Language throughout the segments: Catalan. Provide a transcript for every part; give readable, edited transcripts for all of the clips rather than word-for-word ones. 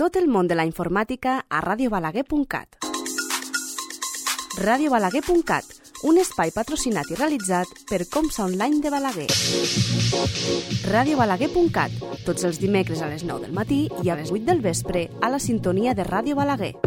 Tot el món de la informàtica a radiobalaguer.cat. Radiobalaguer.cat, un espai patrocinat i realitzat per Comsa Online de Balaguer. Radiobalaguer.cat, tots els dimecres a les 9 del matí i a les 8 del vespre a la sintonia de Ràdio Balaguer.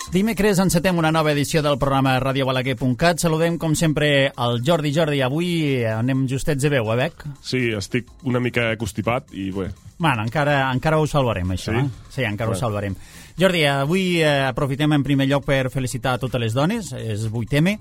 Dimecres encetem una nova edició del programa radiobalaguer.cat. Saludem, com sempre, al Jordi. Jordi, avui anem justets de veu, Bec? Sí, estic una mica constipat i bé. Bueno, encara ho salvarem, això. Sí? Sí, encara ho salvarem. Jordi, avui aprofitem en primer lloc per felicitar a totes les dones, és 8M,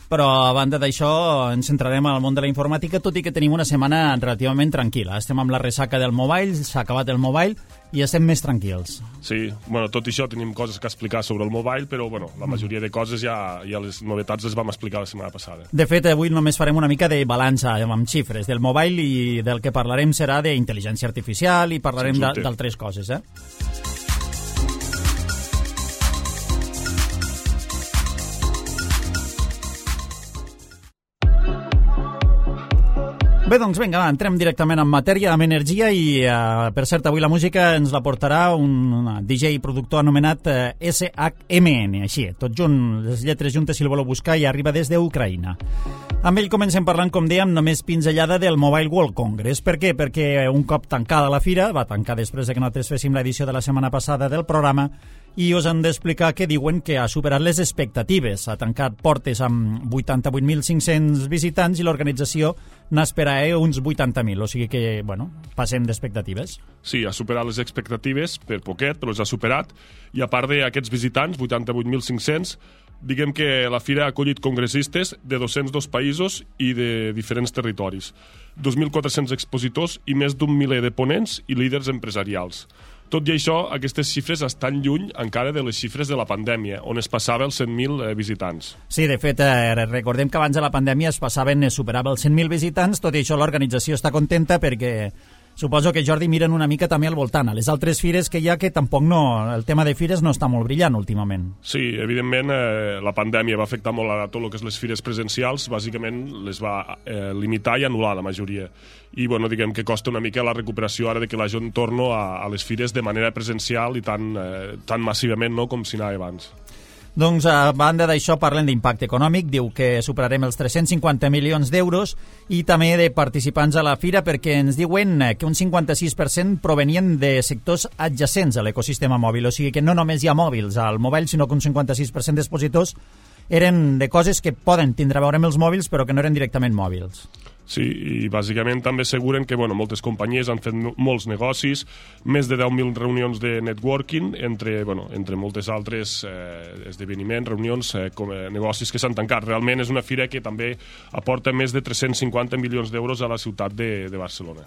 però a banda d'això ens centrarem al món de la informàtica, tot i que tenim una setmana relativament tranquil·la. Estem amb la ressaca del mobile, s'ha acabat el mobile i estem més tranquils. Sí, bueno, tot i això tenim coses que explicar sobre el mobile, però bueno, la majoria de coses ja les novetats les vam explicar la setmana passada. De fet, avui només farem una mica de balança amb xifres del mobile i del que parlarem serà d'intel·ligència artificial i parlarem d'altres coses, Bé, doncs vinga, entrem directament en matèria, amb energia i, per cert, avui la música ens la portarà un DJ i productor anomenat SHMN, així, tot junt, les lletres juntes si el voleu buscar, i arriba des d'Ucraïna. Amb ell comencem parlant, com dèiem, només pinzellada del Mobile World Congress. Per què? Perquè un cop tancada la fira, va tancar després de que nosaltres féssim l'edició de la setmana passada del programa, i us han d'explicar que diuen que ha superat les expectatives. Ha tancat portes amb 88.500 visitants i l'organització n'espera uns 80.000, o sigui que, bueno, passem d'expectatives. Sí, ha superat les expectatives per poquet, però les ha superat, i a part d'aquests visitants, 88.500, diguem que la fira ha acollit congressistes de 202 països i de diferents territoris, 2.400 expositors i més d'un miler de ponents i líders empresarials. Tot i això, aquestes xifres estan lluny encara de les xifres de la pandèmia, on es passava els 100.000 visitants. Sí, de fet, recordem que abans de la pandèmia es superava els 100.000 visitants, tot i això l'organització està contenta perquè suposo que, Jordi, miren una mica també al voltant, a les altres fires que hi ha, que tampoc el tema de fires no està molt brillant últimament. Sí, evidentment la pandèmia va afectar molt a tot el que és les fires presencials, bàsicament les va limitar i anul·lar la majoria. I bueno, diguem que costa una mica la recuperació ara de que la gent torno a les fires de manera presencial i tan massivament com si anava abans. Doncs, a banda d'això, parlen d'impacte econòmic, diu que superarem els 350 milions d'euros i també de participants a la fira, perquè ens diuen que un 56% provenien de sectors adjacents a l'ecosistema mòbil, o sigui que no només hi ha mòbils al mobile, sinó que un 56% d'expositors eren de coses que poden tindre a veure amb els mòbils, però que no eren directament mòbils. Sí, i bàsicament també asseguren que moltes companyies han fet molts negocis, més de 10.000 reunions de networking, entre moltes altres esdeveniments, reunions, negocis que s'han tancat. Realment és una fira que també aporta més de 350 milions d'euros a la ciutat de Barcelona.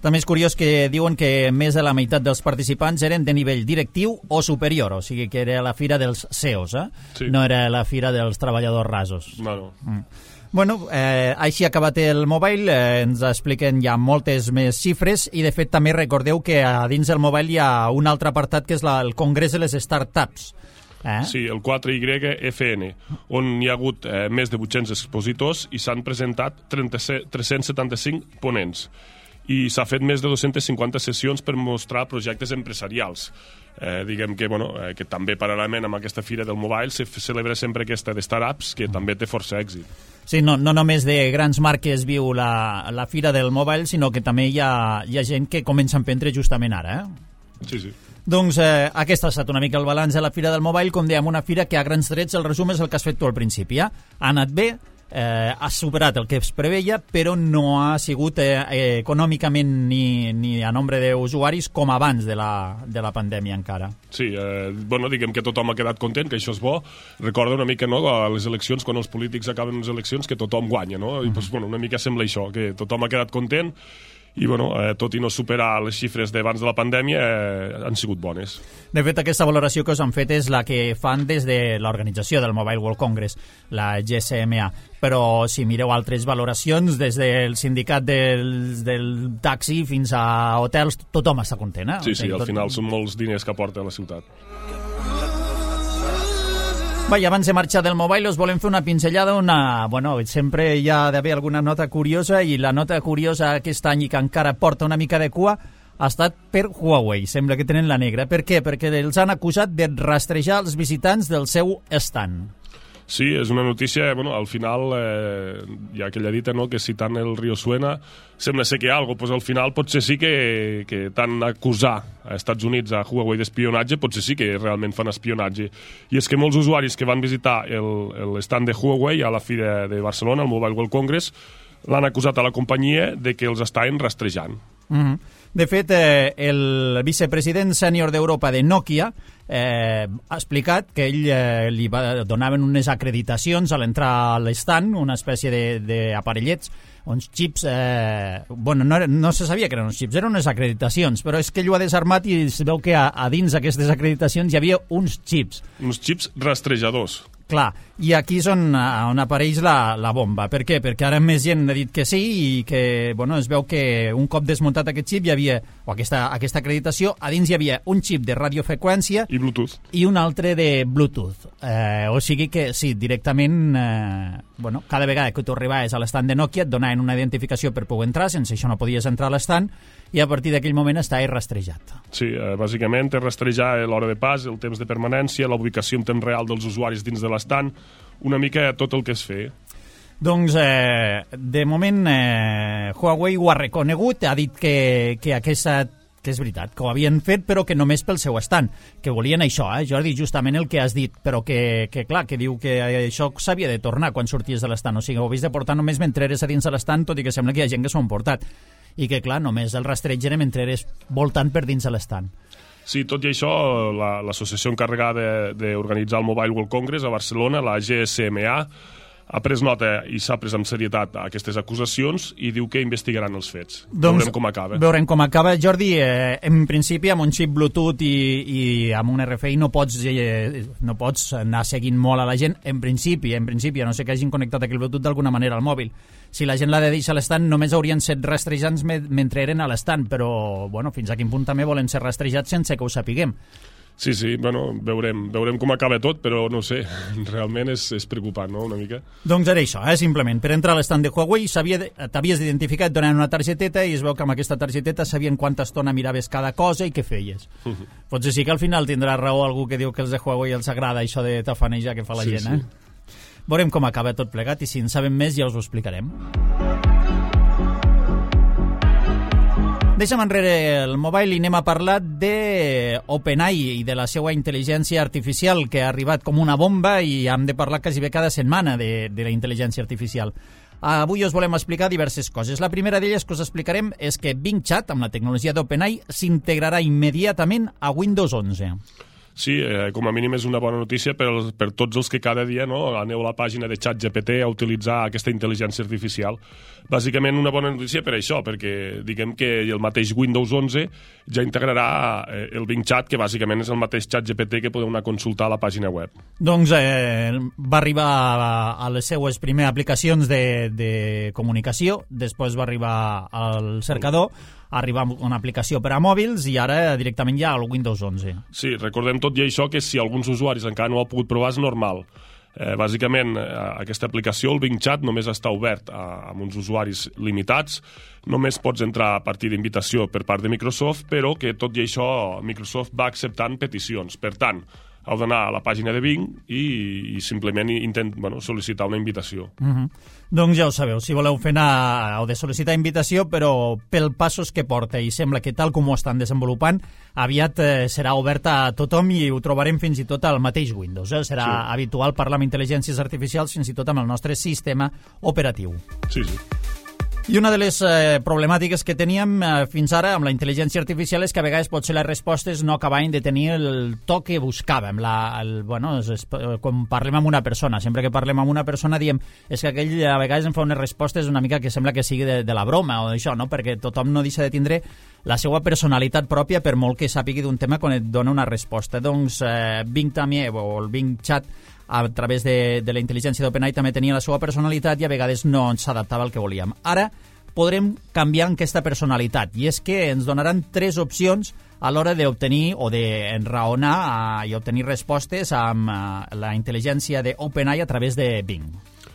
També és curiós que diuen que més de la meitat dels participants eren de nivell directiu o superior, o sigui que era la fira dels CEOs, Sí. No era la fira dels treballadors rasos. No. Bueno, així ha acabat el mobile, ens expliquen ja moltes més xifres i de fet també recordeu que a dins del mobile hi ha un altre apartat que és el Congrés de les Startups. Sí, el 4YFN, on hi ha hagut més de 800 expositors i s'han presentat 375 ponents. I s'ha fet més de 250 sessions per mostrar projectes empresarials. Diguem que també paral·lelament amb aquesta fira del mobile se celebra sempre aquesta de startups, que també té força èxit. Sí, no només de grans marques viu la fira del mobile, sinó que també hi ha gent que comença a emprendre justament ara. Sí. Doncs aquest ha estat una mica el balanç de la fira del mobile, com dèiem, una fira que a grans trets el resum és el que has fet tu al principi. Ha anat bé, ha superat el que es preveia, però no ha sigut econòmicament ni a nombre d'usuaris com abans de la pandèmia encara. Sí, diguem que tothom ha quedat content, que això és bo. Recorda una mica a les eleccions, quan els polítics acaben les eleccions, que tothom guanya, no? I una mica sembla això, que tothom ha quedat content i tot i no superar les xifres d'abans de la pandèmia han sigut bones. De fet, aquesta valoració que us han fet és la que fan des de l'organització del Mobile World Congress, la GSMA, però si mireu altres valoracions, des del sindicat del taxi fins a hotels, tothom està content. Sí, al final són molts diners que aporta a la ciutat. Vaja, abans de marxar del Mobile us volem fer una pinzellada, bueno, sempre hi ha d'haver alguna nota curiosa, i la nota curiosa aquest any i que encara porta una mica de cua ha estat per Huawei. Sembla que tenen la negra. Per què? Perquè els han acusat de rastrejar els visitants del seu stand. Sí, és una notícia, bueno, al final hi ha aquella dita, no?, que si tant el riu suena, sembla ser que hi ha alguna cosa, pues al final potser sí que tant acusar a Estats Units a Huawei d'espionatge, potser sí que realment fan espionatge. I és que molts usuaris que van visitar l'estand de Huawei a la Fira de Barcelona, al Mobile World Congress, l'han acusat a la companyia de que els estaven rastrejant. De fet, el vicepresident sènior d'Europa de Nokia ha explicat que ell li donaven unes acreditacions a l'entrar a l'estand, una espècie d'aparellets, uns xips, bueno, no se sabia que eren uns xips, eren unes acreditacions, però és que ell ho ha desarmat i es veu que a dins d'aquestes acreditacions hi havia uns xips. Uns xips rastrejadors. Clar, i aquí és on apareix la bomba. Per què? Perquè ara més gent ha dit que sí i que, bueno, es veu que un cop desmuntat aquest xip hi havia, o aquesta acreditació, a dins hi havia un xip de radiofreqüència i Bluetooth. I un altre de Bluetooth. O sigui que, sí, directament, bueno, cada vegada que tu arribaves a l'estand de Nokia et donaven una identificació per poder entrar, sense això no podies entrar a l'estand, i a partir d'aquell moment està rastrejat. Sí, bàsicament és rastrejar l'hora de pas, el temps de permanència, la ubicació en temps real dels usuaris dins de l'estand, una mica tot el que es feia. Doncs, de moment, Huawei ho ha reconegut, ha dit que és veritat, que ho havien fet, però que només pel seu estand, que volien això, Jordi, justament el que has dit, però que clar, que diu que això s'havia de tornar quan sorties de l'estand, o sigui, ho havies de portar només mentre eres a dins de l'estand, tot i que sembla que hi ha gent que s'ho han portat, i que, clar, només el rastreig era mentre eres voltant per dins de l'estand. Sí, tot i això, l'associació encarregada d'organitzar el Mobile World Congress a Barcelona, la GSMA, ha pres nota i s'ha pres amb serietat aquestes acusacions i diu que investigaran els fets. Doncs, veurem com acaba. Veurem com acaba. Jordi, en principi, amb un xip Bluetooth i amb un RFI no pots anar seguint molt a la gent. En principi, a no sé que hagin connectat aquell Bluetooth d'alguna manera al mòbil. Si la gent l'ha de deixar a l'estand, només haurien set rastrejants mentre eren a l'estand, però bueno, fins a quin punt també volen ser rastrejats sense que ho sapiguem. Sí, bueno, veurem com acaba tot, però no sé, realment és preocupant, no?, una mica. Doncs era això, simplement, per entrar a l'estand de Huawei t'havies d'identificar donant una targeteta i es veu que amb aquesta targeteta sabien quanta estona miraves cada cosa i què feies. Potser sí que al final tindrà raó algú que diu que els de Huawei els agrada això de tafanejar que fa la gent, Sí. Veurem com acaba tot plegat i si en sabem més ja us ho explicarem. Deixa'm enrere el mobile i anem a parlar d'OpenAI i de la seva intel·ligència artificial que ha arribat com una bomba i hem de parlar quasi bé cada setmana de la intel·ligència artificial. Avui us volem explicar diverses coses. La primera d'elles que us explicarem és que Bing Chat, amb la tecnologia d'OpenAI, s'integrarà immediatament a Windows 11. Sí, com a mínim és una bona notícia per tots els que cada dia aneu a la pàgina de ChatGPT a utilitzar aquesta intel·ligència artificial. Bàsicament una bona notícia per això, perquè diguem que el mateix Windows 11 ja integrarà el Bing Chat, que bàsicament és el mateix ChatGPT que podeu anar a consultar a la pàgina web. Doncs va arribar a les seues primeres aplicacions de comunicació, després va arribar al cercador, arribar amb una aplicació per a mòbils i ara directament ja al Windows 11. Sí, recordem tot i això que si alguns usuaris encara no ho han pogut provar és normal. Bàsicament, aquesta aplicació, el Bing Chat, només està obert amb uns usuaris limitats. Només pots entrar a partir d'invitació per part de Microsoft, però que tot i això Microsoft va acceptant peticions. Per tant, heu d'anar a la pàgina de Bing i simplement sol·licitar una invitació. Doncs ja ho sabeu, si voleu fer anar, heu de sol·licitar invitació, però pel passos que porta i sembla que tal com ho estan desenvolupant, aviat serà oberta a tothom i ho trobarem fins i tot al mateix Windows. Serà habitual parlar amb intel·ligències artificials fins i tot amb el nostre sistema operatiu. Sí. I una de les problemàtiques que teníem fins ara amb la intel·ligència artificial és que a vegades potser les respostes no acabaven de tenir el to que buscàvem. Quan parlem amb una persona, sempre que parlem amb una persona diem és que aquell a vegades em fa unes respostes una mica que sembla que sigui de la broma o d'això, no? Perquè tothom no deixa de tindre la seva personalitat pròpia per molt que sàpigui d'un tema quan et dona una resposta. Doncs Bing també, o el Bing Chat, a través de la intel·ligència d'OpenAI també tenia la seva personalitat i a vegades no s'adaptava al que volíem. Ara podrem canviar aquesta personalitat, i és que ens donaran 3 opcions a l'hora d'obtenir o d'enraonar i obtenir respostes amb la intel·ligència d'OpenAI a través de Bing.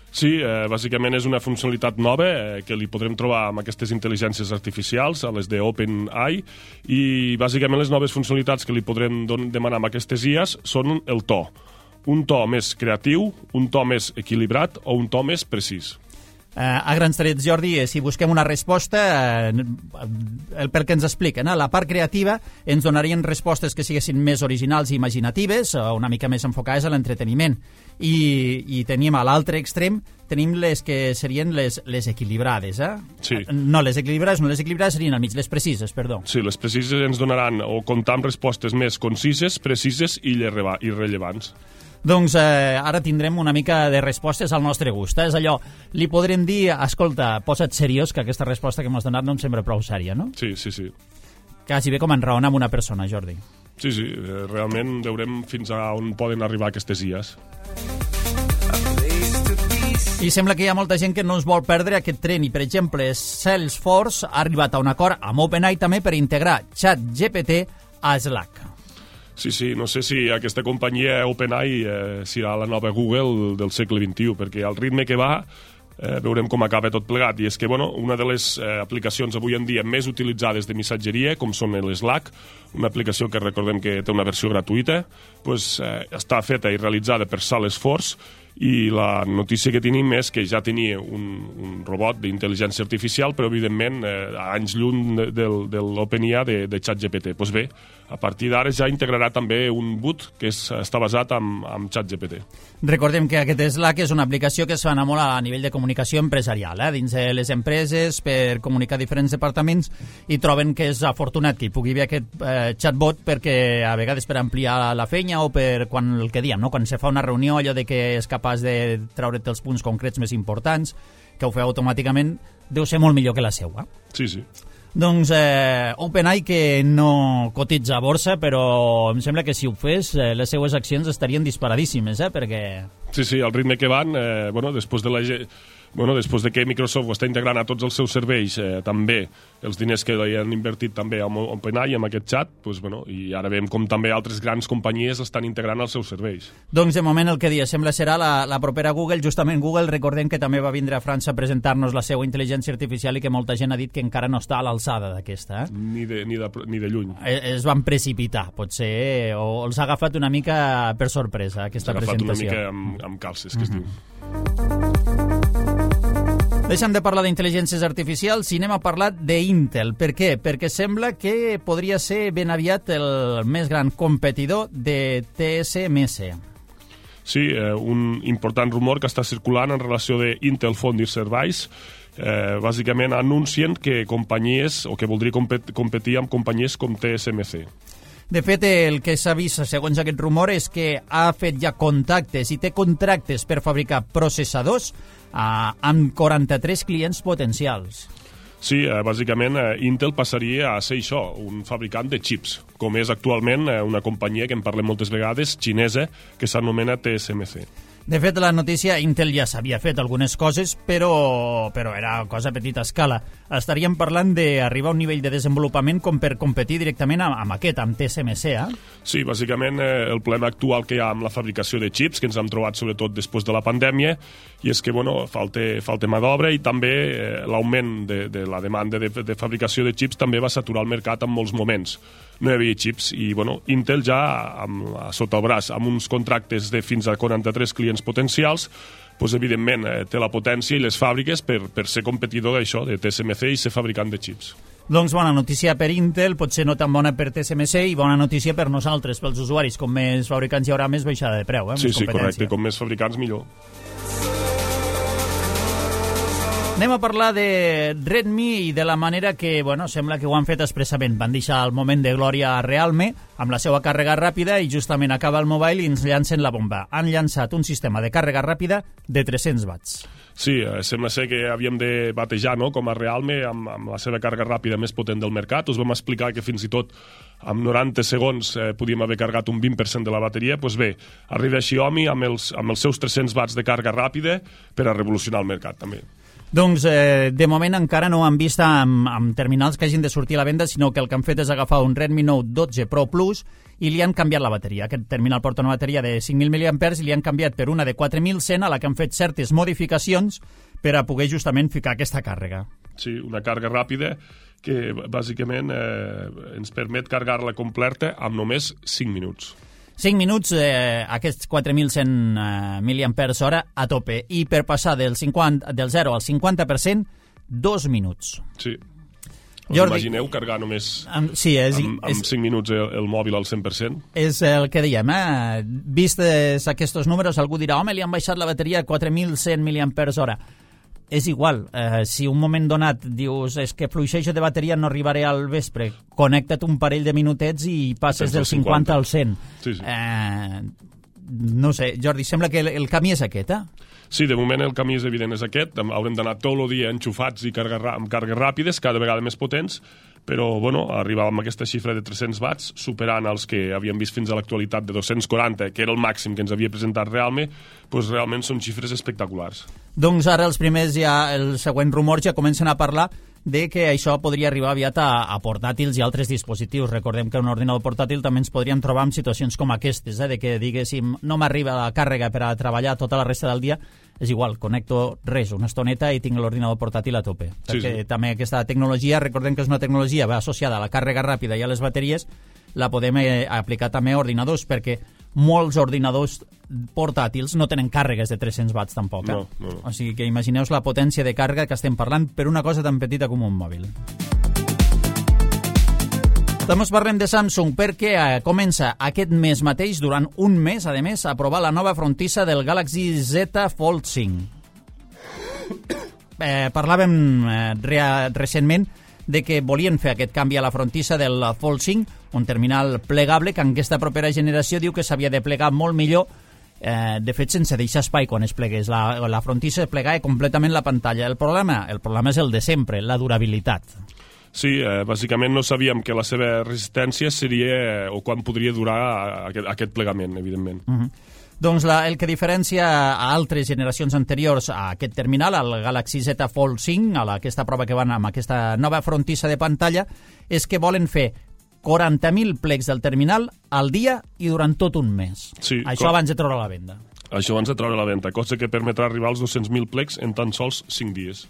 Sí, bàsicament és una funcionalitat nova que li podrem trobar amb aquestes intel·ligències artificials, a les d'OpenAI, i bàsicament les noves funcionalitats que li podrem demanar amb aquestes IAs són el to. Un to més creatiu, un to més equilibrat o un to més precís. A grans trets, Jordi, si busquem una resposta, pel que ens expliquen, la part creativa ens donarien respostes que siguessin més originals i imaginatives, una mica més enfocades a l'entreteniment. I tenim a l'altre extrem, tenim les que serien les equilibrades. Sí. No, les equilibrades serien al mig, les precises, perdó. Sí, les precises ens donaran o comptar amb respostes més concises, precises i rellevants. Doncs ara tindrem una mica de respostes al nostre gust. És allò, li podrem dir, escolta, posa't seriós, que aquesta resposta que m'has donat no em sembla prou sèria, no? Sí. Quasi bé com enraonar amb una persona, Jordi. Sí, realment veurem fins a on poden arribar aquestes IAs. I sembla que hi ha molta gent que no es vol perdre aquest tren i, per exemple, Salesforce ha arribat a un acord amb OpenAI també per integrar ChatGPT a Slack. Sí, no sé si aquesta companyia OpenAI serà la nova Google del segle XXI, perquè al ritme que va veurem com acaba tot plegat. I és que, una de les aplicacions avui en dia més utilitzades de missatgeria, com són l'Slack, una aplicació que recordem que té una versió gratuïta, està feta i realitzada per Salesforce, i la notícia que tenim és que ja tenia un robot d'intel·ligència artificial, però evidentment anys lluny de l'OpenIA de ChatGPT. Doncs bé, a partir d'ara ja integrarà també un bot que està basat en ChatGPT. Recordem que aquest Slack és una aplicació que es fa molt a nivell de comunicació empresarial, dins de les empreses, per comunicar diferents departaments, i troben que és afortunat que hi pugui haver aquest chatbot perquè a vegades per ampliar la feina o per quan el que diem, quan se fa una reunió, allò de que és capaç de treure't els punts concrets més importants, que ho feu automàticament, deu ser molt millor que la seua. Sí. Doncs OpenAI, que no cotitza a borsa, però em sembla que si ho fes, les seues accions estarien disparadíssimes, perquè... Sí, al ritme que van, després de que Microsoft ho està integrant a tots els seus serveis, també els diners que hi han invertit també amb OpenAI, amb aquest xat, i ara veiem com també altres grans companyies estan integrant als seus serveis. Doncs de moment el que dia sembla serà la propera Google. Justament Google, recordem que també va vindre a França a presentar-nos la seva intel·ligència artificial i que molta gent ha dit que encara no està a l'alçada d'aquesta. Ni de lluny. Es van precipitar, potser, o els ha agafat una mica per sorpresa aquesta presentació. S'ha agafat una mica amb calces, que es diu. Deixem de parlar d'intel·ligències artificials i anem a parlar d'Intel. Per què? Perquè sembla que podria ser ben aviat el més gran competidor de TSMC. Sí, un important rumor que està circulant en relació d'Intel Foundry Services, bàsicament anuncien que companyies, o que voldria competir amb companyies com TSMC. De fet, el que s'ha vist, segons aquest rumor, és que ha fet ja contactes i té contractes per fabricar processadors amb 43 clients potencials. Sí, bàsicament Intel passaria a ser això, un fabricant de xips, com és actualment una companyia que en parlem moltes vegades, xinesa, que s'anomena TSMC. De fet, la notícia, Intel ja s'havia fet algunes coses, però era cosa a petita escala. Estaríem parlant d'arribar a un nivell de desenvolupament com per competir directament amb TSMC, Sí, bàsicament el problema actual que hi ha amb la fabricació de xips, que ens hem trobat sobretot després de la pandèmia, i és que falta mà d'obra i també l'augment de la demanda de fabricació de xips també va saturar el mercat en molts moments. No hi havia xips i Intel ja sota el braç amb uns contractes de fins a 43 clients potencials, evidentment té la potència i les fàbriques per ser competidor d'això, de TSMC, i ser fabricant de xips. Doncs bona notícia per Intel, potser no tan bona per TSMC, i bona notícia per nosaltres, pels usuaris. Com més fabricants hi haurà, més baixada de preu. Sí, correcte, com més fabricants millor. Anem a parlar de Redmi i de la manera que, sembla que ho han fet expressament. Van deixar el moment de glòria a Realme amb la seva càrrega ràpida i justament acaba el mobile i ens llancen la bomba. Han llançat un sistema de càrrega ràpida de 300 watts. Sí, sembla ser que havíem de batejar com a Realme amb la seva càrrega ràpida més potent del mercat. Us vam explicar que fins i tot amb 90 segons podíem haver carregat un 20% de la bateria. Doncs bé, arriba Xiaomi amb els seus 300 watts de càrrega ràpida per a revolucionar el mercat també. Doncs de moment encara no han vist amb terminals que hagin de sortir a la venda, sinó que el que han fet és agafar un Redmi Note 12 Pro Plus i li han canviat la bateria. Aquest terminal porta una bateria de 5.000 mAh i li han canviat per una de 4.100 a la que han fet certes modificacions per a poder justament ficar aquesta càrrega. Sí, una càrrega ràpida que bàsicament ens permet carregar-la completa amb només 5 minuts. 5 minuts, aquests 4.100 mAh a tope. I per passar del 0 al 50%, 2 minuts. Sí. Jordi, imagineu carregar només amb 5 minuts el mòbil al 100%? És el que diem, Vistes aquests números, algú dirà, home, li han baixat la bateria a 4.100 mAh. És igual, si un moment donat dius és que fluixejo de bateria no arribaré al vespre, connecta't un parell de minutets i passes del 50 al 100. Sí, sí. No sé, Jordi, sembla que el camí és aquest, Sí, de moment el camí és evident, és aquest. Haurem d'anar tot el dia enxufats i amb cargues ràpides, cada vegada més potents, però bueno, arribàvem a aquesta xifra de 300 watts, superant els que havíem vist fins a l'actualitat de 240, que era el màxim que ens havia presentat realment, doncs realment són xifres espectaculars. Doncs ara els següents rumors ja comencen a parlar de que això podria arribar aviat a portàtils i altres dispositius. Recordem que un ordinador portàtil també ens podríem trobar en situacions com aquestes, de que diguéssim no m'arriba la càrrega per a treballar tota la resta del dia, és igual, connecto res, una estoneta i tinc l'ordinador portàtil a tope. Perquè també aquesta tecnologia, recordem que és una tecnologia associada a la càrrega ràpida i a les bateries, la podem aplicar també a ordinadors, perquè molts ordinadors portàtils no tenen càrregues de 300 watts tampoc. No. O sigui que imagineu la potència de càrrega que estem parlant per una cosa tan petita com un mòbil. També parlem de Samsung perquè comença aquest mes mateix, durant un mes, a més, a provar la nova frontissa del Galaxy Z Fold 5. Parlàvem recentment de que volien fer aquest canvi a la frontissa del Fold 5, un terminal plegable que en aquesta propera generació diu que s'havia de plegar molt millor, de fet sense deixar espai quan es plegués. La frontissa es plegava completament la pantalla. El problema és el de sempre, la durabilitat. Sí, bàsicament no sabíem que la seva resistència seria o quan podria durar aquest plegament, evidentment. Doncs el que diferencia a altres generacions anteriors a aquest terminal, al Galaxy Z Fold 5, a aquesta prova que van amb aquesta nova frontissa de pantalla, és que volen fer 40.000 plecs del terminal al dia i durant tot un mes. Sí, això abans de treure a la venda. Això abans de treure a la venda, cosa que permetrà arribar als 200.000 plecs en tan sols 5 dies.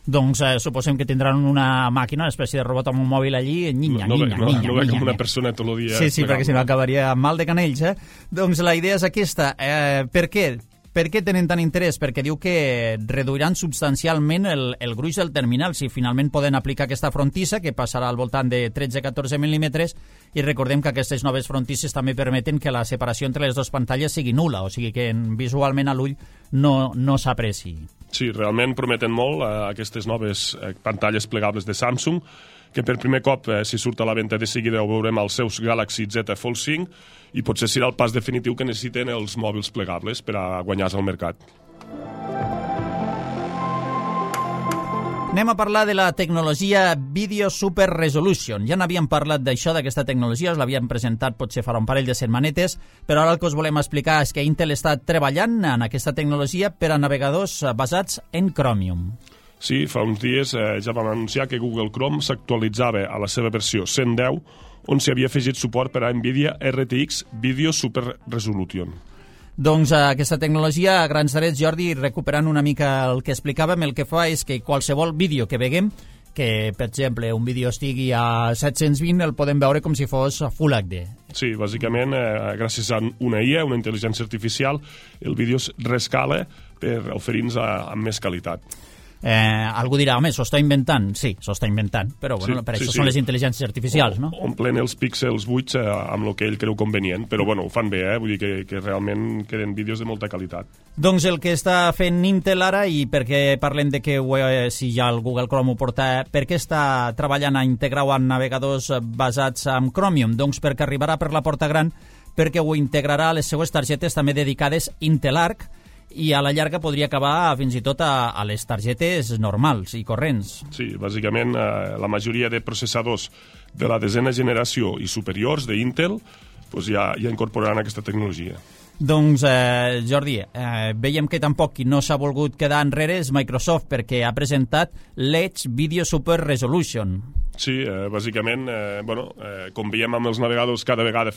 Doncs suposem que tindran una màquina, una espècie de robot amb un mòbil allí, No veig com una persona tot el dia. Sí, perquè si no acabaria mal de canells, Doncs la idea és aquesta. Per què? Per què tenen tant interès? Perquè diu que reduiran substancialment el gruix del terminal si finalment poden aplicar aquesta frontissa, que passarà al voltant de 13-14 mil·límetres, i recordem que aquestes noves frontisses també permeten que la separació entre les dues pantalles sigui nul·la, o sigui que visualment a l'ull no s'apreci. Sí, realment prometen molt aquestes noves pantalles plegables de Samsung, que per primer cop, si surt a la venda de seguida, ho veurem als seus Galaxy Z Fold 5, i potser serà el pas definitiu que necessiten els mòbils plegables per a guanyar-se al mercat. Anem a parlar de la tecnologia Video Super Resolution. Ja n'havíem parlat d'això, d'aquesta tecnologia, us l'havíem presentat potser farà un parell de setmanetes, però ara el que us volem explicar és que Intel està treballant en aquesta tecnologia per a navegadors basats en Chromium. Sí, fa uns dies ja vam anunciar que Google Chrome s'actualitzava a la seva versió 110, on s'hi havia afegit suport per a NVIDIA RTX Video Super Resolution. Doncs aquesta tecnologia, a grans trets, Jordi, recuperant una mica el que explicàvem, el que fa és que qualsevol vídeo que veguem, que, per exemple, un vídeo estigui a 720, el podem veure com si fos Full HD. Sí, bàsicament, gràcies a una IA, una intel·ligència artificial, el vídeo es rescala per oferir-nos amb més qualitat. Algú dirà, home, s'ho està inventant. Sí, s'ho està inventant, però bueno, per això són les intel·ligències artificials, no? Omplen els píxels buits amb el que ell creu convenient, però bueno, ho fan bé, vull dir que realment queden vídeos de molta qualitat. Doncs el que està fent Intel ara, i perquè parlem de que si ja el Google Chrome ho porta, per què està treballant a integrar-ho en navegadors basats en Chromium? Doncs perquè arribarà per la porta gran, perquè ho integrarà a les seues targetes també dedicades Intel Arc, i a la llarga podria acabar fins i tot a les targetes normals i corrents. Sí, bàsicament la majoria de processadors de la 10ª generació i superiors d'Intel ja incorporaran aquesta tecnologia. Doncs, Jordi, veiem que tampoc qui no s'ha volgut quedar enrere és Microsoft, perquè ha presentat l'Edge Video Super Resolution. Sí, bàsicament, com veiem amb els navegadors, cada vegada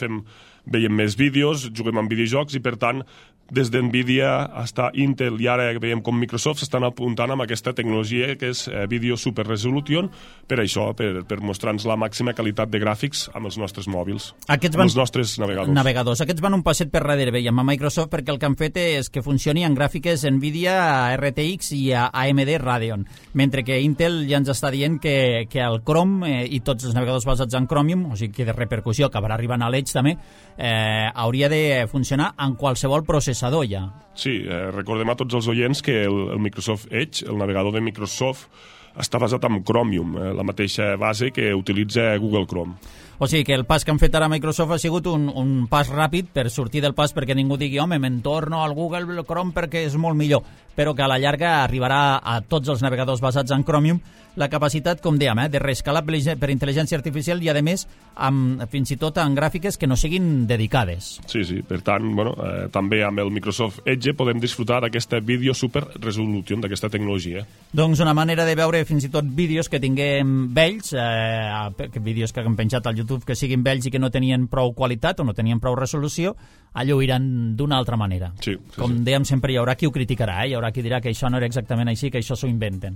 veiem més vídeos, juguem amb videojocs i, per tant, des d'NVIDIA fins a Intel i ara veiem com Microsoft s'estan apuntant amb aquesta tecnologia que és Video Super Resolution per això, per mostrar-nos la màxima qualitat de gràfics amb els nostres mòbils, amb els nostres navegadors. Aquests van un passet per darrere, veiem, a Microsoft, perquè el que han fet és que funcioni en gràfiques NVIDIA, RTX i AMD Radeon, mentre que Intel ja ens està dient que el Chrome i tots els navegadors basats en Chromium, o sigui que de repercussió acabarà arribant a l'Edge també, hauria de funcionar en qualsevol processador ja. Sí, recordem a tots els oients que el Microsoft Edge, el navegador de Microsoft, està basat en Chromium, la mateixa base que utilitza Google Chrome. O sigui que el pas que han fet ara Microsoft ha sigut un pas ràpid per sortir del pas perquè ningú digui, home, me'n torno al Google Chrome perquè és molt millor, però que a la llarga arribarà a tots els navegadors basats en Chromium la capacitat, com dèiem, de reescalar per intel·ligència artificial i, a més, fins i tot en gràfiques que no siguin dedicades. Sí, per tant, també amb el Microsoft Edge podem disfrutar d'aquesta Video Super Resolution, d'aquesta tecnologia. Doncs una manera de veure fins i tot vídeos que tinguem vells, vídeos que han penjat al YouTube que siguin vells i que no tenien prou qualitat o no tenien prou resolució, allò iran d'una altra manera. Sí, com dèiem sempre, hi haurà qui ho criticarà, hi haurà qui dirà que això no era exactament així, que això s'ho inventen.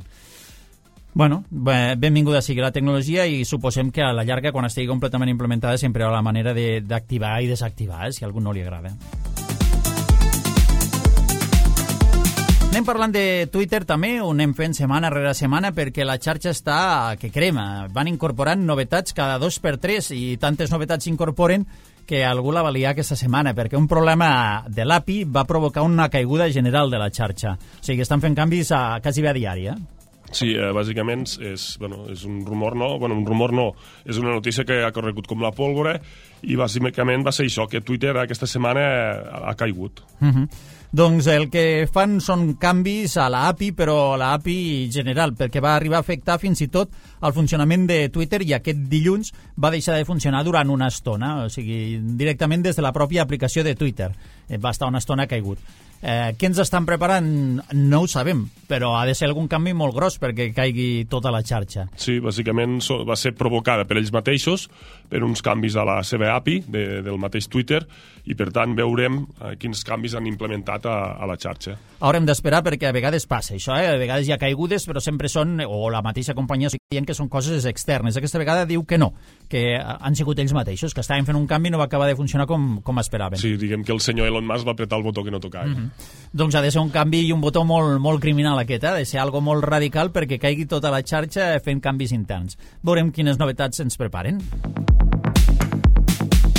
Bueno, benvinguda sigui la tecnologia i suposem que a la llarga, quan estigui completament implementada, sempre hi haurà la manera d'activar i desactivar, si a algú no li agrada. Anem parlant de Twitter també, ho anem fent setmana rere setmana perquè la xarxa està que crema. Van incorporant novetats cada 2x3 i tantes novetats s'incorporen que algú la va liar aquesta setmana perquè un problema de l'API va provocar una caiguda general de la xarxa. O sigui, estan fent canvis quasi a diari, Sí, bàsicament és un rumor, no? Bueno, un rumor no, és una notícia que ha corregut com la pólvora i bàsicament va ser això, que Twitter aquesta setmana ha caigut. Doncs el que fan són canvis a l'API, però a l'API general, perquè va arribar a afectar fins i tot el funcionament de Twitter i aquest dilluns va deixar de funcionar durant una estona, o sigui, directament des de la pròpia aplicació de Twitter. Va estar una estona caigut. Què ens estan preparant? No ho sabem, però ha de ser algun canvi molt gros perquè caigui tota la xarxa. Sí, bàsicament va ser provocada per ells mateixos, per uns canvis a la seva API del mateix Twitter, i per tant veurem quins canvis han implementat a la xarxa. Haurem d'esperar perquè a vegades passa això, a vegades hi ha caigudes, però sempre són, o la mateixa companyia dient que són coses externes. Aquesta vegada diu que no, que han sigut ells mateixos, que estaven fent un canvi i no va acabar de funcionar com esperaven. Sí, diguem que el senyor Elon Musk va apretar el botó que no tocava. Doncs ha de ser un canvi i un botó molt criminal aquest, ha de ser algo molt radical perquè caigui tota la xarxa fent canvis interns. Veurem quines novetats ens preparen.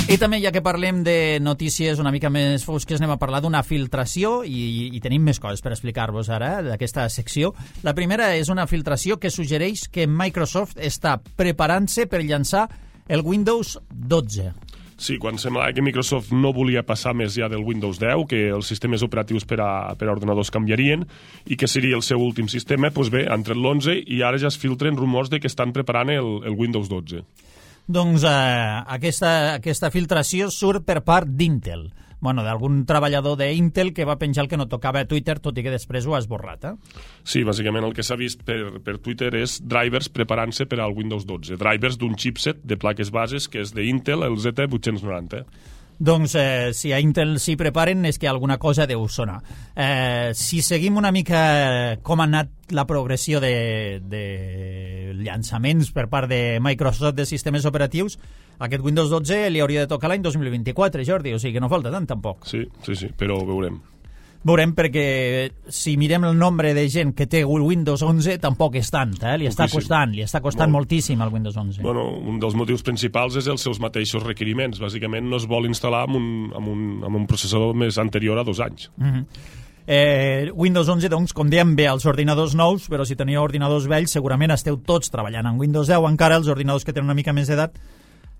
I també, ja que parlem de notícies una mica més fosques, anem a parlar d'una filtració i tenim més coses per explicar-vos ara d'aquesta secció. La primera és una filtració que suggereix que Microsoft està preparant-se per llançar el Windows 12. Sí, quan semblava que Microsoft no volia passar més ja del Windows 10, que els sistemes operatius per a ordenadors canviarien i que seria el seu últim sistema, doncs bé, han tret l'11 i ara ja es filtren rumors de que estan preparant el Windows 12. Doncs aquesta filtració surt per part d'Intel. Bueno, d'algun treballador d'Intel que va penjar el que no tocava a Twitter, tot i que després ho ha esborrat. Sí, bàsicament el que s'ha vist per Twitter és drivers preparant-se per al Windows 12. Drivers d'un chipset de plaques bases que és d'Intel, el Z890. Doncs si a Intel s'hi preparen és que alguna cosa deu sonar. Si seguim una mica com ha anat la progressió de llançaments per part de Microsoft de sistemes operatius, aquest Windows 12 li hauria de tocar l'any 2024, Jordi, o sigui que no falta tant tampoc. Sí, però veurem. Veurem, perquè si mirem el nombre de gent que té Windows 11 tampoc és tant, li està costant moltíssim el Windows 11. Bueno, un dels motius principals és els seus mateixos requeriments. Bàsicament no es vol instal·lar amb un processador més anterior a 2 anys. Windows 11, doncs, com dèiem, ve als ordinadors nous, però si teniu ordinadors vells segurament esteu tots treballant en Windows 10, encara els ordinadors que tenen una mica més d'edat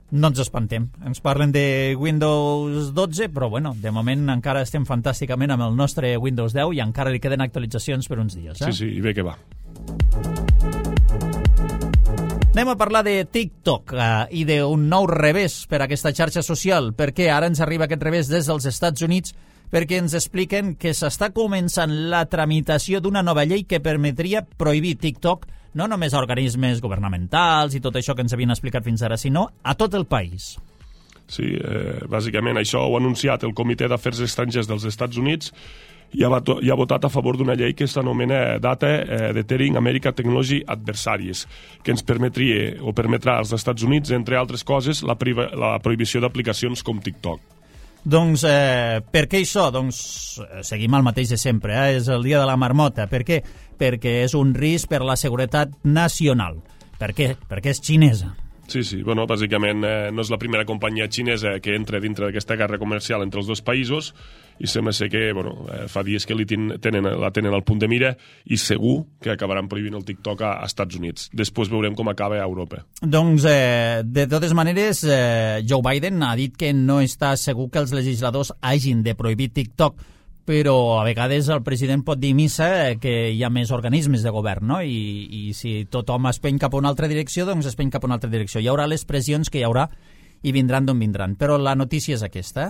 no ens espantem. Ens parlen de Windows 12, però bueno, de moment encara estem fantàsticament amb el nostre Windows 10 i encara li queden actualitzacions per uns dies. Sí, i bé que va. Anem a parlar de TikTok i d'un nou revés per a aquesta xarxa social, perquè ara ens arriba aquest revés des dels Estats Units, perquè ens expliquen que s'està començant la tramitació d'una nova llei que permetria prohibir TikTok no només a organismes governamentals i tot això que ens havien explicat fins ara, sinó a tot el país. Sí, bàsicament això ho ha anunciat el Comitè d'Afers Estrangers dels Estats Units i ha votat a favor d'una llei que s'anomena Data Deterring American Technology Adversaries, que ens permetria o permetrà als Estats Units, entre altres coses, la prohibició d'aplicacions com TikTok. Doncs per què això? Doncs seguim el mateix de sempre, és el dia de la marmota. Per què? Perquè és un risc per la seguretat nacional. Per què? Perquè és xinesa. Sí, bueno, bàsicament no és la primera companyia xinesa que entra dintre d'aquesta guerra comercial entre els dos països i sembla ser que fa dies que la tenen al punt de mira i segur que acabaran prohibint el TikTok a Estats Units. Després veurem com acaba a Europa. Doncs, de totes maneres, Joe Biden ha dit que no està segur que els legisladors hagin de prohibir TikTok, però a vegades el president pot dir missa que hi ha més organismes de govern, no? I si tothom es peny cap a una altra direcció, doncs es peny cap a una altra direcció. Hi haurà les pressions que hi haurà i vindran d'on vindran. Però la notícia és aquesta.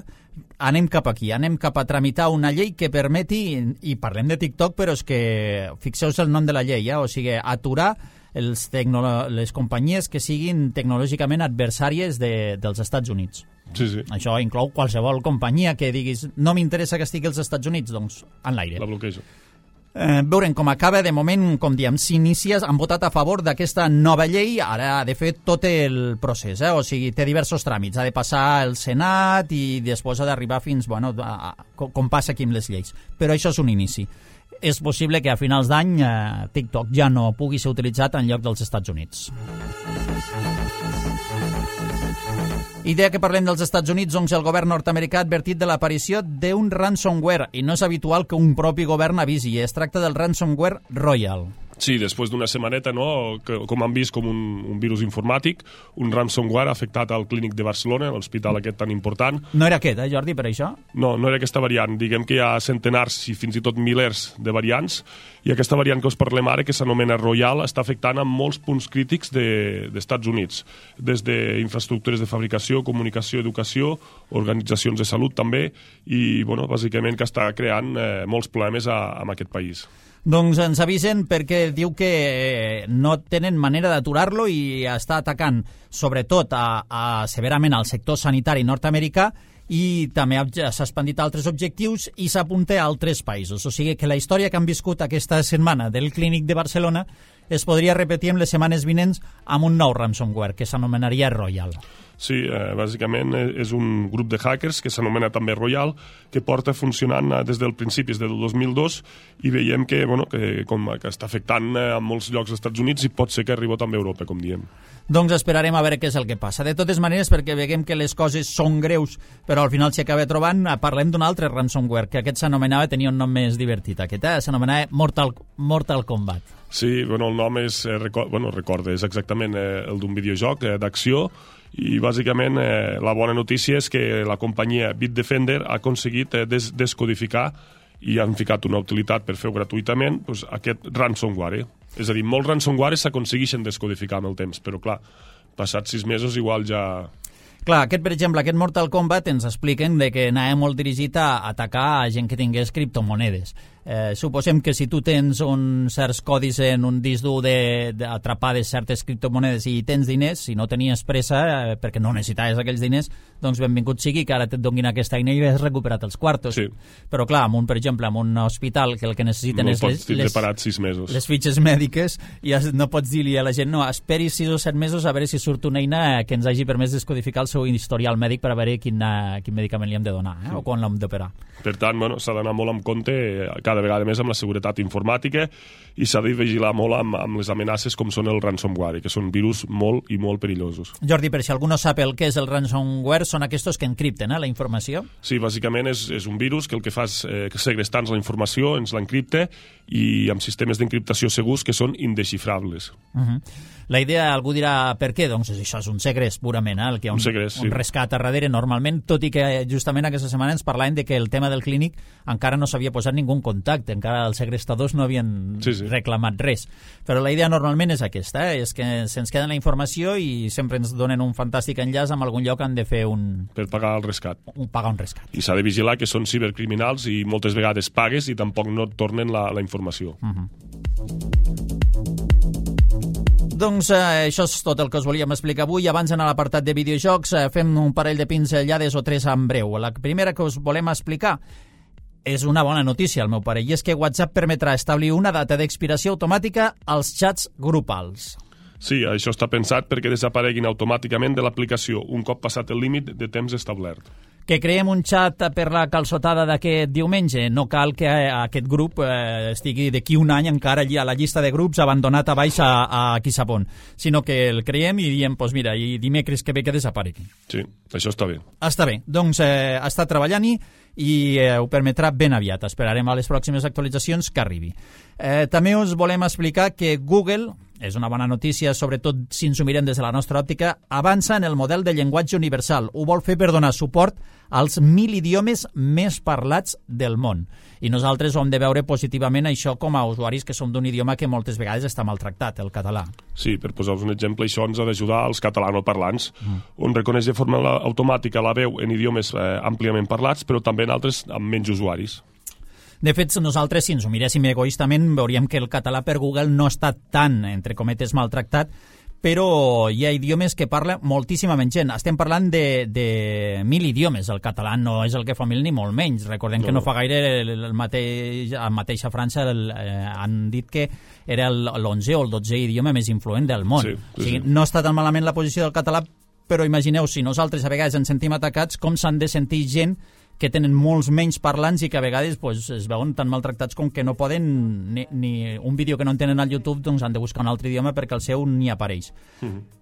Anem cap aquí, anem cap a tramitar una llei que permeti, i parlem de TikTok, però és que fixeu-vos el nom de la llei, o sigui, aturar les companyies que siguin tecnològicament adversàries dels Estats Units. Sí. Això inclou qualsevol companyia que diguis no m'interessa que estigui als Estats Units, doncs en l'aire. La bloquejo. Veurem com acaba. De moment, com diem, s'inicia, han votat a favor d'aquesta nova llei, ara ha de fer tot el procés, o sigui, té diversos tràmits, ha de passar el Senat i després ha d'arribar fins, com passa aquí amb les lleis. Però això és un inici. És possible que a finals d'any TikTok ja no pugui ser utilitzat en lloc dels Estats Units. Idea que parlem dels Estats Units, doncs el govern nord-americà ha advertit de l'aparició d'un ransomware i no és habitual que un propi govern avisi. Es tracta del ransomware Royal. Sí, després d'una setmaneta, no?, com han vist com un virus informàtic, un ransomware ha afectat al Clínic de Barcelona, l'hospital aquest tan important. No era aquest, Jordi, per això? No era aquesta variant. Diguem que hi ha centenars i fins i tot milers de variants, i aquesta variant que us parlem ara, que s'anomena Royal, està afectant a molts punts crítics d'Estats Units, des d'infraestructures de fabricació, comunicació, educació, organitzacions de salut també, i, bàsicament que està creant molts problemes en aquest país. Doncs ens avisen perquè diu que no tenen manera d'aturar-lo i està atacant sobretot severament al sector sanitari nord-americà i també s'ha expandit a altres objectius i s'apunta a altres països. O sigui que la història que han viscut aquesta setmana del Clínic de Barcelona es podria repetir en les setmanes vinents amb un nou ransomware que s'anomenaria Royal. Sí, bàsicament és un grup de hackers que s'anomena també Royal, que porta funcionant des del principis del 2002 i veiem que està afectant a molts llocs dels Estats Units i pot ser que arribi també a Europa, com diem. Doncs esperarem a veure què és el que passa. De totes maneres, perquè veiem que les coses són greus, però al final s'hi acaba trobant, parlem d'un altre ransomware, que aquest s'anomenava, tenia un nom més divertit, s'anomenava Mortal Kombat. Sí, el nom és, és exactament el d'un videojoc d'acció, i bàsicament la bona notícia és que la companyia Bitdefender ha aconseguit descodificar i han ficat una utilitat per fer-ho gratuïtament, aquest ransomware. És a dir, molts ransomwares s'aconsegueixen descodificar amb el temps, però clar, passats 6 mesos igual ja... Clar, per exemple, aquest Mortal Kombat ens expliquen que anava molt dirigit a atacar a gent que tingués criptomonedes. Suposem que si tu tens uns certs codis en un disc dur d'atrapades certes criptomonedes i tens diners, si no tenies pressa perquè no necessitaves aquells diners, doncs benvingut sigui que ara et donin aquesta eina i has recuperat els quartos. Sí. Però clar, per exemple, en un hospital que el que necessiten és les fitxes mèdiques i no pots dir-li a la gent no, esperi 6 o 7 mesos a veure si surt una eina que ens hagi permès descodificar el seu historial mèdic per a veure quin medicament li hem de donar o quan l'hem d'operar. Per tant, s'ha d'anar molt en compte cada vegada més amb la seguretat informàtica i s'ha de vigilar molt amb les amenaces com són el ransomware, que són virus molt i molt perillosos. Jordi, per si algú no sap el que és el ransomware, són aquests que encripten la informació? Sí, bàsicament és un virus que el que fa és segrestar-nos la informació, ens l'encripta i amb sistemes d'encriptació segurs que són indesxifrables. La idea, algú dirà, per què? Doncs això és un segrest, purament, el que hi ha un rescat a darrere normalment, tot i que justament aquesta setmana ens parlaven de que el tema del Clínic encara no s'havia posat ningú en contacte contacte, encara els segrestadors no havien reclamat res. Però la idea normalment és aquesta, és que se'ns queda la informació i sempre ens donen un fantàstic enllaç amb algun lloc han de fer per pagar el rescat. Pagar un rescat. I s'ha de vigilar que són cibercriminals i moltes vegades pagues i tampoc no et tornen la informació. Doncs això és tot el que us volíem explicar avui. Abans d'anar a l'apartat de videojocs, fem un parell de pinzellades o tres en breu. La primera que us volem explicar és una bona notícia, al meu pare, i és que WhatsApp permetrà establir una data d'expiració automàtica als xats grupals. Sí, això està pensat perquè desapareguin automàticament de l'aplicació un cop passat el límit de temps establert. Que creem un xat per la calçotada d'aquest diumenge. No cal que aquest grup estigui d'aquí un any encara allí a la llista de grups abandonat a baix a qui sap on, sinó que el creem i diem, doncs mira, i dimecres que ve que desaparegui. Sí, això està bé. Està bé, doncs està treballant-hi i ho permetrà ben aviat. Esperarem a les pròximes actualitzacions que arribi. També us volem explicar que Google, és una bona notícia, sobretot si ens ho mirem des de la nostra òptica, avança en el model de llenguatge universal. Ho vol fer per donar suport als 1.000 idiomes més parlats del món. I nosaltres ho hem de veure positivament això com a usuaris que som d'un idioma que moltes vegades està maltractat, el català. Sí, per posar-vos un exemple, això ens ha d'ajudar als catalanoparlants, on reconeix de forma automàtica la veu en idiomes àmpliament parlats, però també en altres amb menys usuaris. De fet, nosaltres, si ens ho miréssim egoistament, veuríem que el català per Google no està tan, entre cometes, maltractat, però hi ha idiomes que parla moltíssima menys gent. Estem parlant de 1.000 idiomes. El català no és el que fa 1.000 ni molt menys. Recordem que no fa gaire a mateixa França han dit que era l'11 o el 12è idioma més influent del món. O sigui, no està tan malament la posició del català, però imagineu, si nosaltres a vegades ens sentim atacats, com s'han de sentir gent que tenen molts menys parlants i que a vegades es veuen tan maltractats com que no poden ni un vídeo que no entenen al YouTube, doncs han de buscar un altre idioma perquè el seu ni apareix.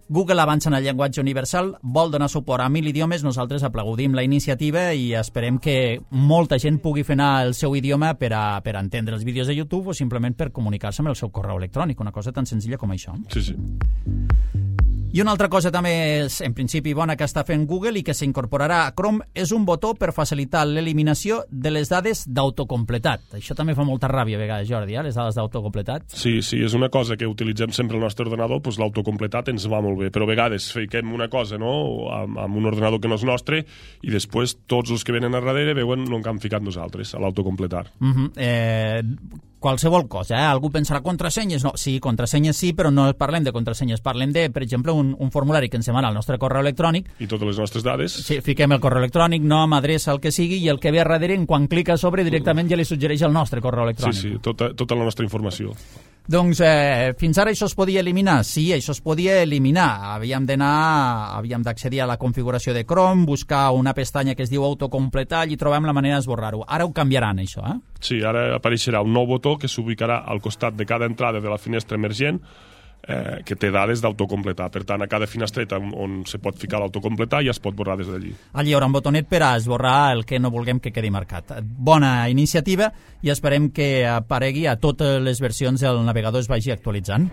Google avança en el llenguatge universal, vol donar suport a 1.000 idiomes, nosaltres aplaudim la iniciativa i esperem que molta gent pugui fer anar el seu idioma per entendre els vídeos de YouTube o simplement per comunicar-se amb el seu correu electrònic, una cosa tan senzilla com això. Sí. I una altra cosa també és, en principi, bona que està fent Google i que s'incorporarà a Chrome és un botó per facilitar l'eliminació de les dades d'autocompletat. Això també fa molta ràbia a vegades, Jordi, les dades d'autocompletat. Sí, és una cosa que utilitzem sempre al nostre ordenador, doncs l'autocompletat ens va molt bé, però a vegades fiquem una cosa amb un ordenador que no és nostre i després tots els que venen a darrere veuen el que hem ficat nosaltres, a l'autocompletar. Qualsevol cosa, algú pensarà contrasenyes, no, sí, contrasenyes sí, però no parlem de contrasenyes, parlem de, per exemple, un formulari que ens demana el nostre correu electrònic. I totes les nostres dades. Sí, fiquem el correu electrònic, nom, adreça, el que sigui, i el que ve a darrere, quan clica a sobre, directament ja li suggereix el nostre correu electrònic. Sí, tota la nostra informació. Doncs fins ara això es podia eliminar? Sí, això es podia eliminar. Havíem d'accedir a la configuració de Chrome, buscar una pestanya que es diu autocompletar i trobem la manera d'esborrar-ho. Ara ho canviaran, això, Sí, ara apareixerà un nou botó que s'ubicarà al costat de cada entrada de la finestra emergent que té dades d'autocompletar. Per tant, a cada finestreta on se pot ficar l'autocompletar ja es pot borrar des d'allí. Allí hi haurà un botonet per a esborrar el que no vulguem que quedi marcat. Bona iniciativa i esperem que aparegui a totes les versions del navegador es vagi actualitzant.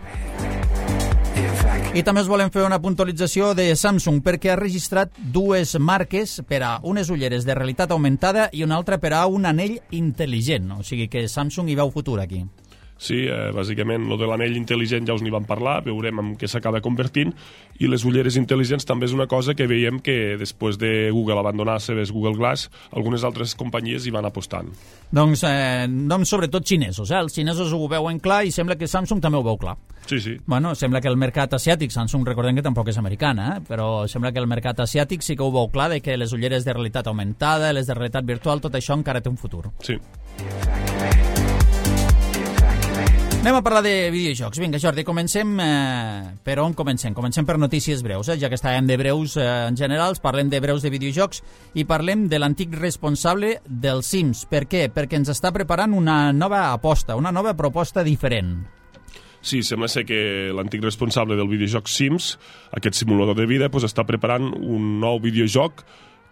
I també us volem fer una puntualització de Samsung perquè ha registrat dues marques per a unes ulleres de realitat augmentada i una altra per a un anell intel·ligent. O sigui que Samsung hi veu futur aquí. Sí, bàsicament, lo de l'anell intel·ligent ja us n'hi vam parlar, veurem en què s'acaba convertint, i les ulleres intel·ligents també és una cosa que veiem que després de Google abandonar les seves Google Glass, algunes altres companyies hi van apostant. Doncs sobretot xinesos, els xinesos ho veuen clar i sembla que Samsung també ho veu clar. Sí. Bueno, sembla que el mercat asiàtic, Samsung recordem que tampoc és americana, però sembla que el mercat asiàtic sí que ho veu clar de que les ulleres de realitat augmentada, les de realitat virtual, tot això encara té un futur. Sí. Anem a parlar de videojocs. Vinga, Jordi, comencem. Per on comencem? Comencem per notícies breus, ja que estàvem de breus en general, parlem de breus de videojocs i parlem de l'antic responsable dels Sims. Per què? Perquè ens està preparant una nova aposta, una nova proposta diferent. Sí, sembla ser que l'antic responsable del videojoc Sims, aquest simulador de vida, està preparant un nou videojoc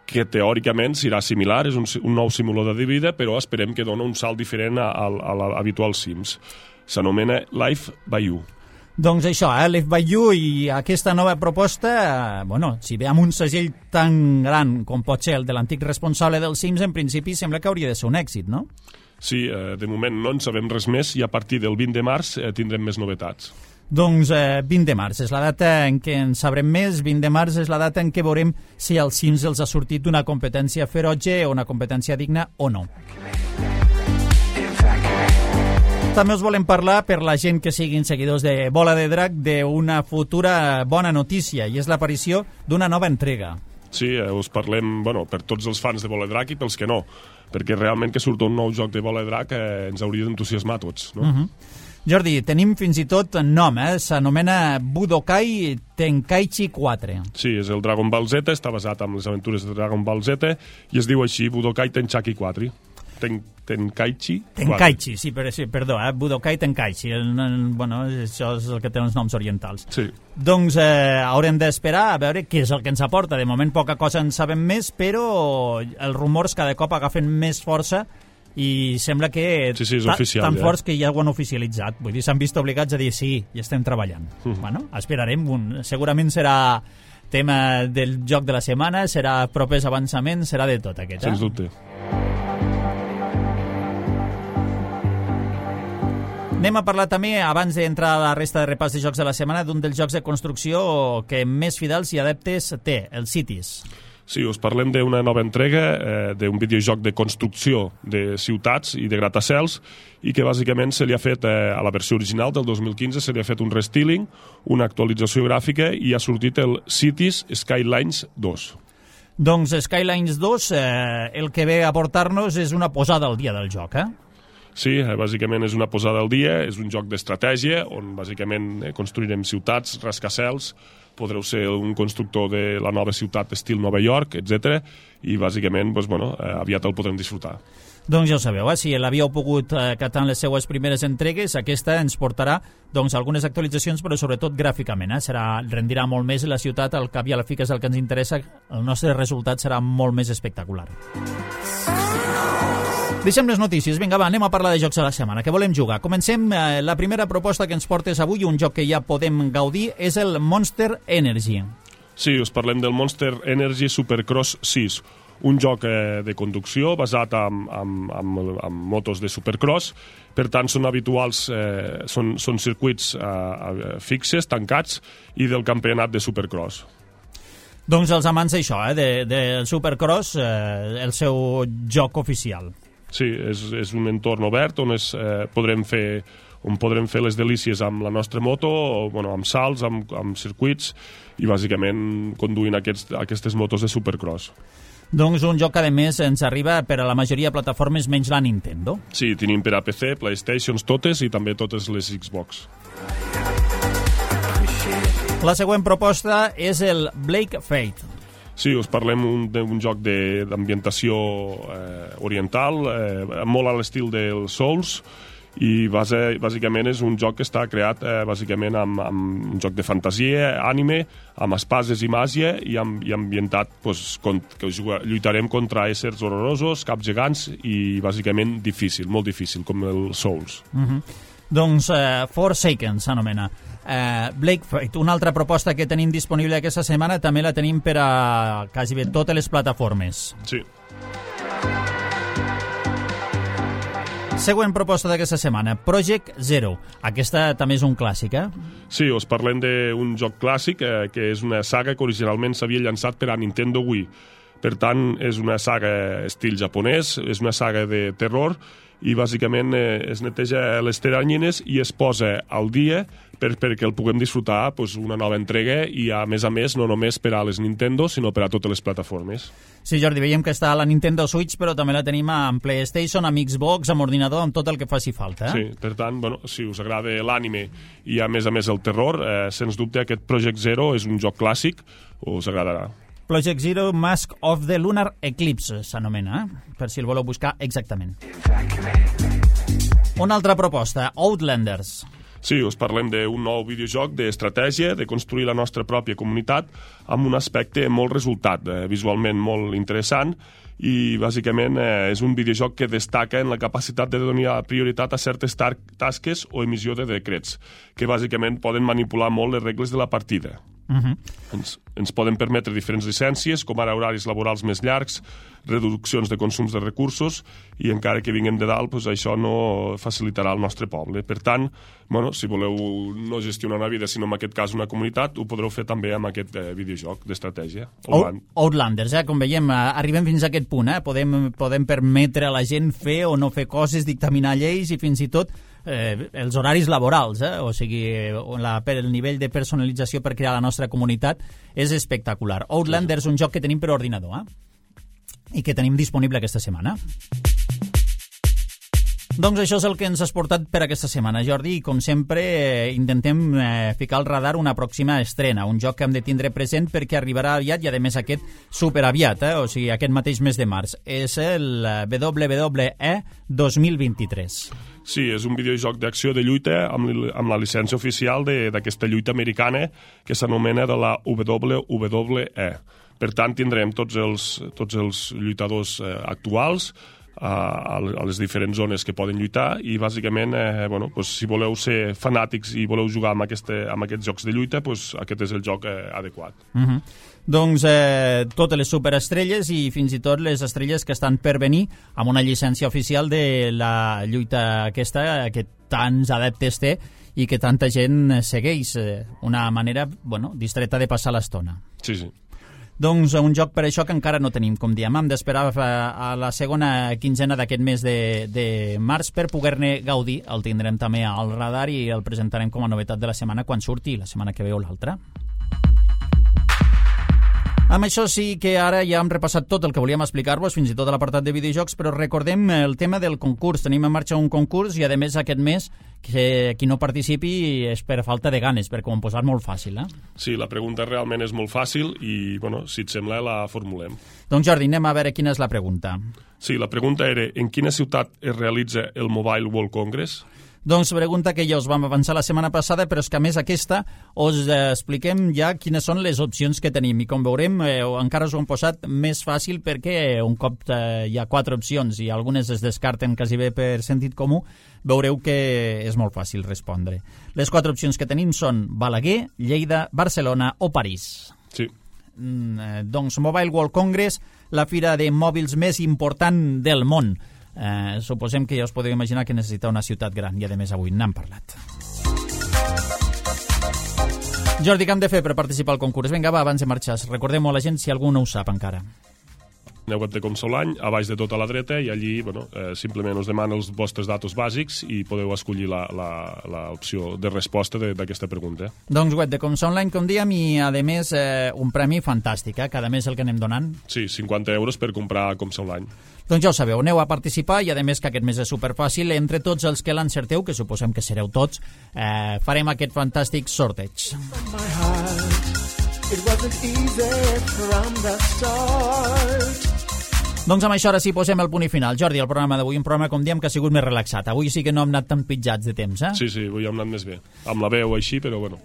que teòricament serà similar, és un nou simulador de vida, però esperem que dona un salt diferent a l'habitual Sims. S'anomena Life by You. Doncs això, Life by You i aquesta nova proposta, si ve amb un segell tan gran com pot ser el de l'antic responsable dels Sims, en principi sembla que hauria de ser un èxit, no? Sí, de moment no en sabem res més i a partir del 20 de març tindrem més novetats. Doncs 20 de març és la data en què en sabrem més, 20 de març és la data en què veurem si als Sims els ha sortit una competència ferotge o una competència digna o no. També us volem parlar, per la gent que siguin seguidors de Bola de Drac, d'una futura bona notícia, i és l'aparició d'una nova entrega. Sí, us parlem per tots els fans de Bola de Drac i pels que no, perquè realment que surt un nou joc de Bola de Drac ens hauria d'entusiasmar a tots, no? Jordi, tenim fins i tot nom, s'anomena Budokai Tenkaichi 4. Sí, és el Dragon Ball Z, està basat en les aventures de Dragon Ball Z i es diu així, Budokai Tenkaichi 4. Tenkaichi, sí, perdó, Budokai Tenkaichi. Bueno, això és el que té els noms orientals. Sí. Doncs haurem d'esperar a veure què és el que ens aporta. De moment poca cosa en sabem més, però els rumors cada cop agafen més força i sembla que sí, és oficial, tan forts que ja ho han oficialitzat. Vull dir, s'han vist obligats a dir sí, hi estem treballant. Bueno, esperarem. Segurament serà tema del joc de la setmana, serà propers avançaments, serà de tot aquest. Sens dubte. Anem a parlar també, abans d'entrar a la resta de repàs de jocs de la setmana, d'un dels jocs de construcció que més fidels i adeptes té, el Cities. Sí, us parlem d'una nova entrega d'un videojoc de construcció de ciutats i de gratacels i que bàsicament se li ha fet a la versió original del 2015 se li ha fet un restyling, una actualització gràfica i ha sortit el Cities Skylines 2. Doncs Skylines 2 el que ve a portar-nos és una posada al dia del joc, Sí, bàsicament és una posada al dia, és un joc d'estratègia on bàsicament construirem ciutats, rascacels, podreu ser un constructor de la nova ciutat estil Nova York, etc. I bàsicament, aviat el podrem disfrutar. Doncs ja ho sabeu, si l'havíeu pogut catar en les seues primeres entregues, aquesta ens portarà algunes actualitzacions, però sobretot gràficament. Rendirà molt més la ciutat, al cap i a la fi, que és el que ens interessa, el nostre resultat serà molt més espectacular. Deixem les notícies. Vinga, va, anem a parlar de jocs de la setmana. Què volem jugar? Comencem. La primera proposta que ens portes avui, un joc que ja podem gaudir, és el Monster Energy. Sí, us parlem del Monster Energy Supercross 6, un joc de conducció basat en motos de Supercross. Per tant, són habituals, són circuits fixes, tancats, i del campionat de Supercross. Doncs els amants d'això, del Supercross, el seu joc oficial. Sí, és un entorn obert on podrem fer les delícies amb la nostra moto, amb salts, amb circuits i bàsicament conduint aquestes motos de Supercross. Doncs un joc que a més ens arriba per a la majoria de plataformes menys la Nintendo. Sí, tenim per a PC, PlayStations totes i també totes les Xbox. La següent proposta és el Blake Fate. Sí, us parlem d'un joc d'ambientació oriental, molt a l'estil del Souls, i bàsicament és un joc que està creat bàsicament amb un joc de fantasia, anime, amb espases i màgia i ambientat que lluitarem contra éssers horrorosos, caps gegants i bàsicament difícil, molt difícil, com el Souls. Doncs Forsaken s'anomena. Blake Fate, una altra proposta que tenim disponible aquesta setmana, també la tenim per a quasi bé totes les plataformes. Sí. Següent proposta d'aquesta setmana, Project Zero. Aquesta també és un clàssic, Sí, us parlem d'un joc clàssic que és una saga que originalment s'havia llançat per a Nintendo Wii. Per tant, és una saga estil japonès, és una saga de terror i bàsicament es neteja les teranyines i es posa al dia perquè el puguem disfrutar una nova entrega i a més, no només per a les Nintendo, sinó per a totes les plataformes. Sí, Jordi, veiem que està a la Nintendo Switch, però també la tenim amb PlayStation, amb Xbox, amb ordinador, amb tot el que faci falta. Sí, per tant, si us agrada l'ànime i a més el terror, sens dubte aquest Project Zero és un joc clàssic, us agradarà. Project Zero Mask of the Lunar Eclipse s'anomena, per si el voleu buscar exactament. Una altra proposta, Outlanders. Sí, us parlem d'un nou videojoc d'estratègia, de construir la nostra pròpia comunitat amb un aspecte molt resultat, visualment molt interessant, i bàsicament és un videojoc que destaca en la capacitat de donar prioritat a certes tasques o emissió de decrets, que bàsicament poden manipular molt les regles de la partida. Ens poden permetre diferents llicències, com ara horaris laborals més llargs, reduccions de consums de recursos, i encara que vinguem de dalt, doncs això no facilitarà el nostre poble. Per tant, si voleu no gestionar una vida, sinó en aquest cas una comunitat, ho podreu fer també amb aquest videojoc d'estratègia. Outlanders, com veiem, arribem fins a aquest punt. Podem permetre a la gent fer o no fer coses, dictaminar lleis i fins i tot els horaris laborals, o sigui, el nivell de personalització per crear la nostra comunitat és espectacular. Outlanders és un joc que tenim per ordinador, i que tenim disponible aquesta setmana. Doncs això és el que ens has portat per aquesta setmana, Jordi, i com sempre intentem ficar al radar una pròxima estrena, un joc que hem de tindre present perquè arribarà aviat, i a més aquest superaviat, o sigui, aquest mateix mes de març. És el WWE 2023. Sí, és un videojoc d'acció de lluita amb la llicència oficial d'aquesta lluita americana que s'anomena de la WWE. Per tant, tindrem tots els lluitadors actuals a les diferents zones que poden lluitar, i bàsicament, si voleu ser fanàtics i voleu jugar amb aquests jocs de lluita, aquest és el joc adequat. Doncs totes les superestrelles i fins i tot les estrelles que estan per venir amb una llicència oficial de la lluita aquesta que tants adeptes té i que tanta gent segueix. Una manera distreta de passar l'estona. Sí. Doncs un joc per això que encara no tenim, com diem. Hem d'esperar a la segona quinzena d'aquest mes de març per poder-ne gaudir. El tindrem també al radar i el presentarem com a novetat de la setmana quan surti, la setmana que ve o l'altra. Amb això sí que ara ja hem repassat tot el que volíem explicar-vos, fins i tot a l'apartat de videojocs, però recordem el tema del concurs. Tenim en marxa un concurs i, a més, aquest mes que qui no participi és per falta de ganes, perquè ho hem posat molt fàcil. Sí, la pregunta realment és molt fàcil i, si et sembla, la formulem. Doncs, Jordi, anem a veure quina és la pregunta. Sí, la pregunta era: en quina ciutat es realitza el Mobile World Congress? Doncs pregunta que ja us vam avançar la setmana passada, però és que a més aquesta us expliquem ja quines són les opcions que tenim, i com veurem encara us ho hem posat més fàcil perquè un cop hi ha 4 opcions i algunes es descarten quasi bé per sentit comú, veureu que és molt fàcil respondre. Les 4 opcions que tenim són Balaguer, Lleida, Barcelona o París. Sí. Doncs Mobile World Congress, la fira de mòbils més important del món. Suposem que ja us podeu imaginar que necessita una ciutat gran, i a més avui n'hem parlat. Jordi, què hem de fer per participar al concurs? Vinga, va, abans de marxar, recordem-ho a la gent si algú no ho sap encara. Aneu web de Comsolany, a baix de tot a la dreta, i allí simplement us demana els vostres datos bàsics i podeu escollir l'opció de resposta d'aquesta pregunta. Doncs web de Comsolany, com dèiem, i a més un premi fantàstic, cada mes el que anem donant. Sí, 50 euros per comprar Comsolany. Doncs ja ho sabeu, aneu a participar, i a més que aquest mes és superfàcil. Entre tots els que l'encerteu, que suposem que sereu tots, farem aquest fantàstic sorteig. Doncs amb això ara sí posem el punt i final. Jordi, el programa d'avui, un programa, com diem, que ha sigut més relaxat. Avui sí que no hem anat tan pitjats de temps, Sí, avui hem anat més bé. Amb la veu així, però bueno.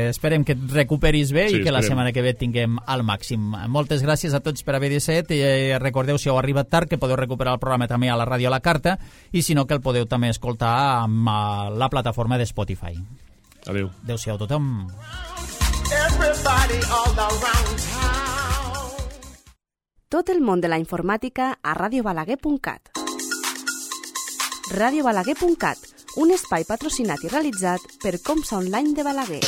Esperem que et recuperis bé i que la setmana que ve tinguem al màxim. Moltes gràcies a tots per haver-hi set. Recordeu, si heu arribat tard, que podeu recuperar el programa també a la ràdio a la carta, i si no, que el podeu també escoltar amb la plataforma de Spotify. Adéu. Adéu-siau a tothom. Tot el món de la informàtica a radiobalaguer.cat. Radiobalaguer.cat, un espai patrocinat i realitzat per Comsa Online de Balaguer.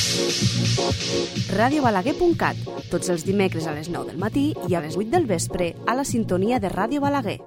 Radiobalaguer.cat, tots els dimecres a les 9 del matí i a les 8 del vespre a la sintonia de Ràdio Balaguer.